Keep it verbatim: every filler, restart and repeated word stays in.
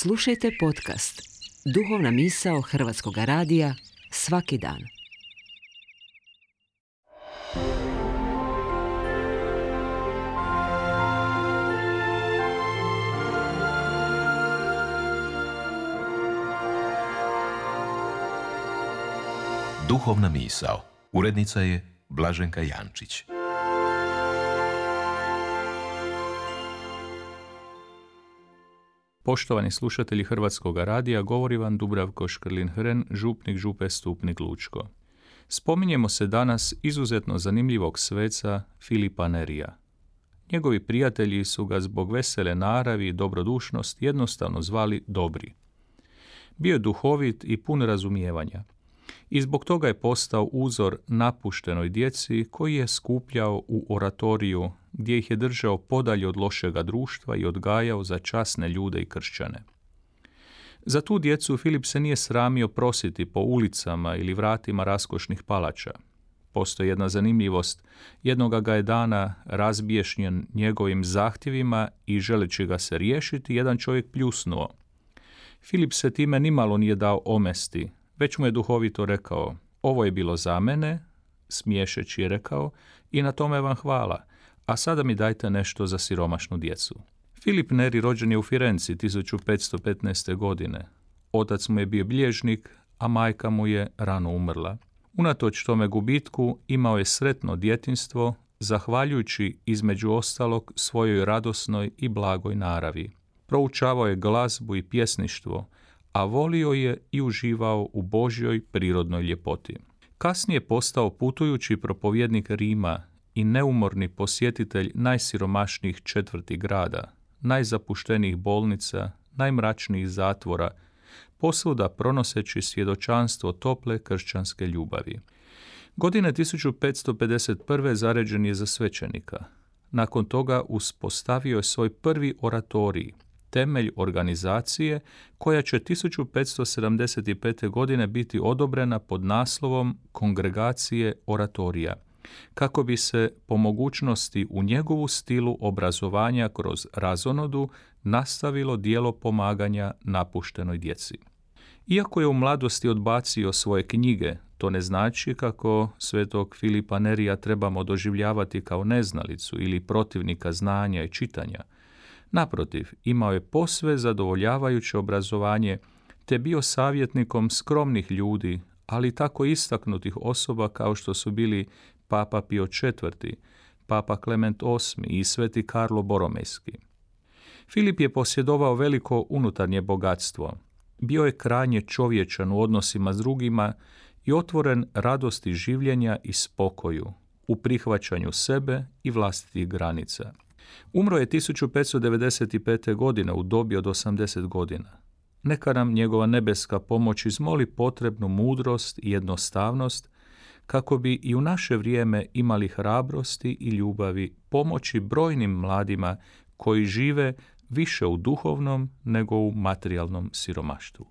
Slušajte podcast Duhovna misao Hrvatskog radija svaki dan. Duhovna misao. Urednica je Blaženka Jančić. Poštovani slušatelji Hrvatskog radija, govori vam Dubravko Škrlin-Hren, župnik Župe Stupnik Lučko. Spominjemo se danas izuzetno zanimljivog sveca Filipa Nerija. Njegovi prijatelji su ga zbog vesele naravi i dobrodušnosti jednostavno zvali Dobri. Bio je duhovit i pun razumijevanja. I zbog toga je postao uzor napuštenoj djeci koji je skupljao u oratoriju gdje ih je držao podalje od lošega društva i odgajao za časne ljude i kršćane. Za tu djecu Filip se nije sramio prositi po ulicama ili vratima raskošnih palača. Postoji jedna zanimljivost. Jednoga ga je dana razbiješnjen njegovim zahtjevima i želeći ga se riješiti, jedan čovjek pljusnuo. Filip se time nimalo nije dao omesti, već mu je duhovito rekao: ovo je bilo za mene, smiješeći je rekao, i na tome vam hvala, a sada mi dajte nešto za siromašnu djecu. Filip Neri rođen je u Firenci tisuću petsto petnaeste. godine. Otac mu je bio bilježnik, a majka mu je rano umrla. Unatoč tome gubitku imao je sretno djetinjstvo, zahvaljujući između ostalog svojoj radosnoj i blagoj naravi. Proučavao je glazbu i pjesništvo, a volio je i uživao u Božjoj prirodnoj ljepoti. Kasnije postao putujući propovjednik Rima i neumorni posjetitelj najsiromašnijih četvrti grada, najzapuštenijih bolnica, najmračnijih zatvora, posvuda pronoseći svjedočanstvo tople kršćanske ljubavi. Godine tisuću petsto pedeset prve. zaređen je za svećenika. Nakon toga uspostavio je svoj prvi oratorij, temelj organizacije koja će tisuću petsto sedamdeset pete. godine biti odobrena pod naslovom Kongregacije oratorija, kako bi se po mogućnosti u njegovu stilu obrazovanja kroz razonodu nastavilo djelo pomaganja napuštenoj djeci. Iako je u mladosti odbacio svoje knjige, to ne znači kako svetog Filipa Nerija trebamo doživljavati kao neznalicu ili protivnika znanja i čitanja. Naprotiv, imao je posve zadovoljavajuće obrazovanje te bio savjetnikom skromnih ljudi, ali tako istaknutih osoba kao što su bili Papa Pio četvrti, Papa Klement osmi i Sveti Karlo Boromejski. Filip je posjedovao veliko unutarnje bogatstvo. Bio je krajnje čovječan u odnosima s drugima i otvoren radosti življenja i spokoju, u prihvaćanju sebe i vlastitih granica. Umro je tisuću petsto devedeset pete. godine u dobi od osamdeset godina. Neka nam njegova nebeska pomoć izmoli potrebnu mudrost i jednostavnost kako bi i u naše vrijeme imali hrabrosti i ljubavi pomoći brojnim mladima koji žive više u duhovnom nego u materijalnom siromaštvu.